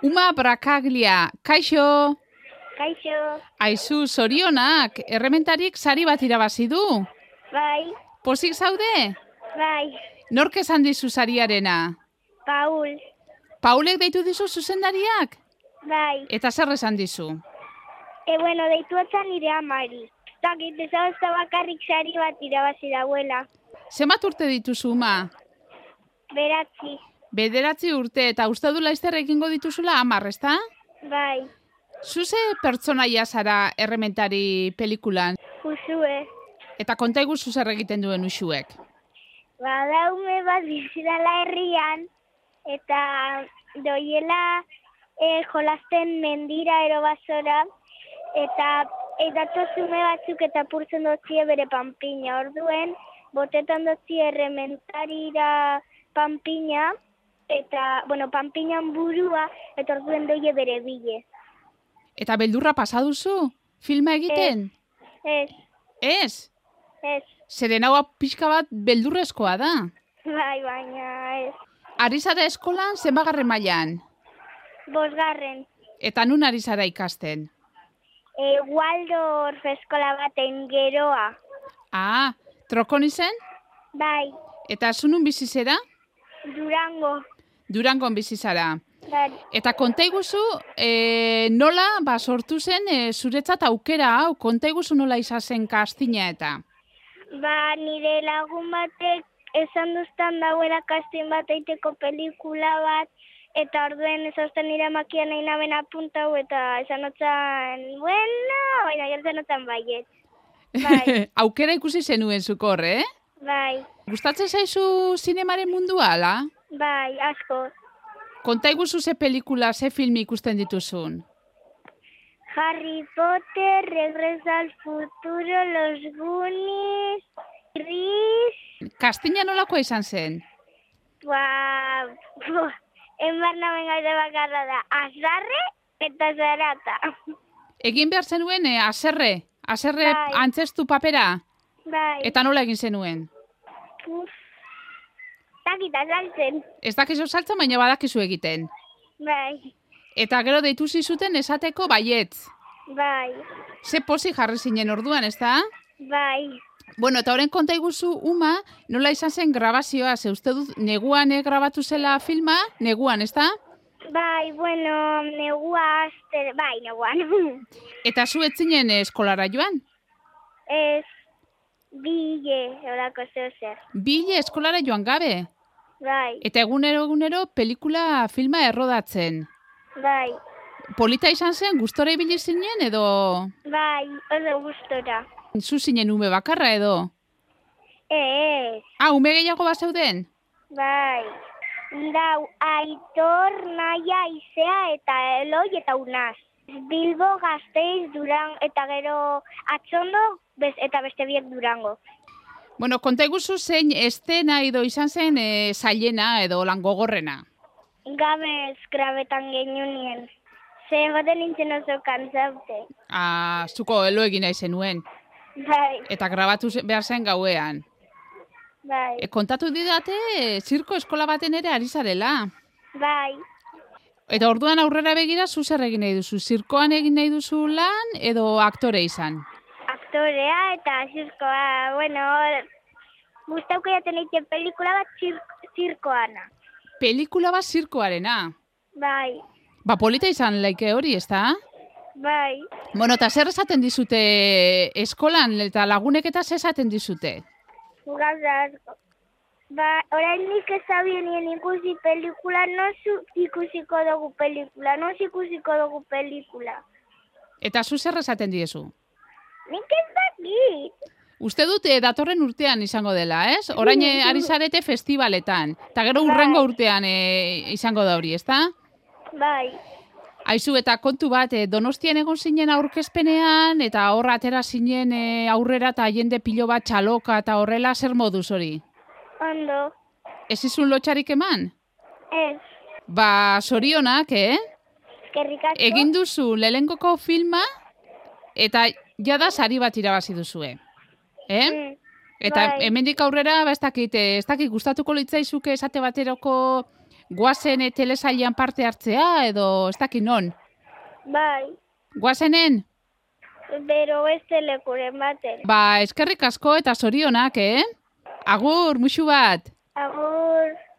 Uma Brakaglia, kaixo! Kaixo. Aizu, zorionak, errementarik sari bat irabazi du. Bai, Pozik zaude? bai. Nork esan dizu sariarena? Paul. Paulek deitu dizu zuzendariak? Bai. Eta zer esan dizu? Bueno, deitu otzan nire amari. Zakit, ezagozta bakarrik sari bat irabazi dauela. Zenbat urte dituzu, Uma? Beratzi. 9 urte, eta uste du laizter egingo dituzula 10, ezta? Bai. Zuze pertsonaia zara errementari pelikulan? Usue. Eta konta iguzu zer egiten duen usuek? Daume bat bizidala herrian, eta doiela jolasten mendira erobazora, eta datozume batzuk eta purtzen dotzie bere panpina. Orduen, botetan dotzie errementarira panpina, eta, panpinan burua, eta orduen doie bere bile. Eta beldurra pasaduzu? Filma egiten? Ez, Ez? ez, Zeren hau pixka bat beldurrezkoa da. bai, baina ez. Ari zara eskolan zenbagarren mailan? 5. Eta nun ari zara ikasten? Waldorf eskola baten geroa. Ah, trokon izen? Bai, Eta zunun bizi zera? Durango. Durangon bizi zara. Bai, Eta konta iguzu, nola sortu zen zuretzat aukera hau, konta iguzu nola izan zen kastina eta? nire lagun batek esan duztan dauela kastin bat eiteko pelikula bat, eta orduen ezazten nire makian nahi naben apuntau, eta esan otzan, bueno, baina gertzen otzan baiet. Bai, Aukera ikusi zenuen zukor, bai, Gustatzen zaizu zinemaren mundua, ala? bai, asko. Konta iguzu ze pelikula, ze filmi ikusten dituzun? Harry Potter, Regreso al Futuro, Los Goonies, Gris, Kastina nolakoa izan zen? enbarna bengaide bakarra da, azarre eta zarata. Egin behar zenuen aserre Bai. antzestu papera? Bai, Eta nola egin zenuen? takita saltzen. Ez dakizu saltzen, baina badakizu egiten. Bai, Eta gero deitu zizuten esateko baietz. bai, Ze pozik jarri zinen orduan, ez da? bai. Bueno, eta horren konta iguzu, Uma, nola izan zen grabazioa, ze uste dut neguan grabatu zela filma, neguan, ez da? Bai, negua azte, bai, neguan. Eta zu ez zinen eskolara joan? Ez, bile, horako zer. Bile eskolara joan gabe. Bai, Eta egunero pelikula filma errodatzen. bai, Polita izan zen, gustora ibili zinen edo bai, oso gustora. zu zinen ume bakarra edo? Ez, Ume gehiago bazeuden? bai. Dau, Aitor, Naia, Izea eta Eloi eta Unaz. Bilbo, Gasteiz, Durango, eta gero Atxondo, eta beste biek Durango. Bueno, konta iguzu zein estena edo izan zen zailena edo lan gogorrena. Gamez grabetan genunien. Zer baten nintzen oso kantzaute. Zuko elo egin nahi zenuen. Bai, Eta grabatu behar zen gauean. bai, Kontatu didate, zirko eskola baten ere ari zarela. bai. Eta orduan aurrera begira, zu zer egin nahi duzu? Zirkoan egin nahi duzu lan edo aktore izan? Aktorea eta zirkoa, gustauko jaten egiten pelikula bat zirkoana. Pelikula bat zirkoarena. Bai, Polita izan laike hori, ez da? bai. Bueno, eta zer esaten dizute eskolan eta lagunek eta zer esaten dizute? Gauza asko. Orain nik ez zabien ikusi pelikula, ikusiko dugu pelikula. Eta zu zer esaten diezu? Nik ez dakit. Uste dute datorren urtean izango dela, ez? Orain ari zarete festivaletan. Eta gero Bai. urrengo urtean izango da hori, ez da? Bai, Aizu, eta kontu bat, Donostian egon zinen aurkezpenean, eta horra atera zinen aurrera eta jende pilo bat txaloka eta horrela zer moduz hori? ondo. Ez izun lotxarik eman? Ez, Zorionak, eskerrik asko. Egin duzu lehengoko filma, eta jada sari bat irabazi duzue. Eta bai. hemendik aurrera, ez dakit gustatuko litzaizuke esate bateroko Guazen telesailean parte hartzea, edo ez dakit non? Bai, Guazenen? bero beste lekuren baten. Ba, eskerrik asko eta zorionak, Agur, musu bat! Agur.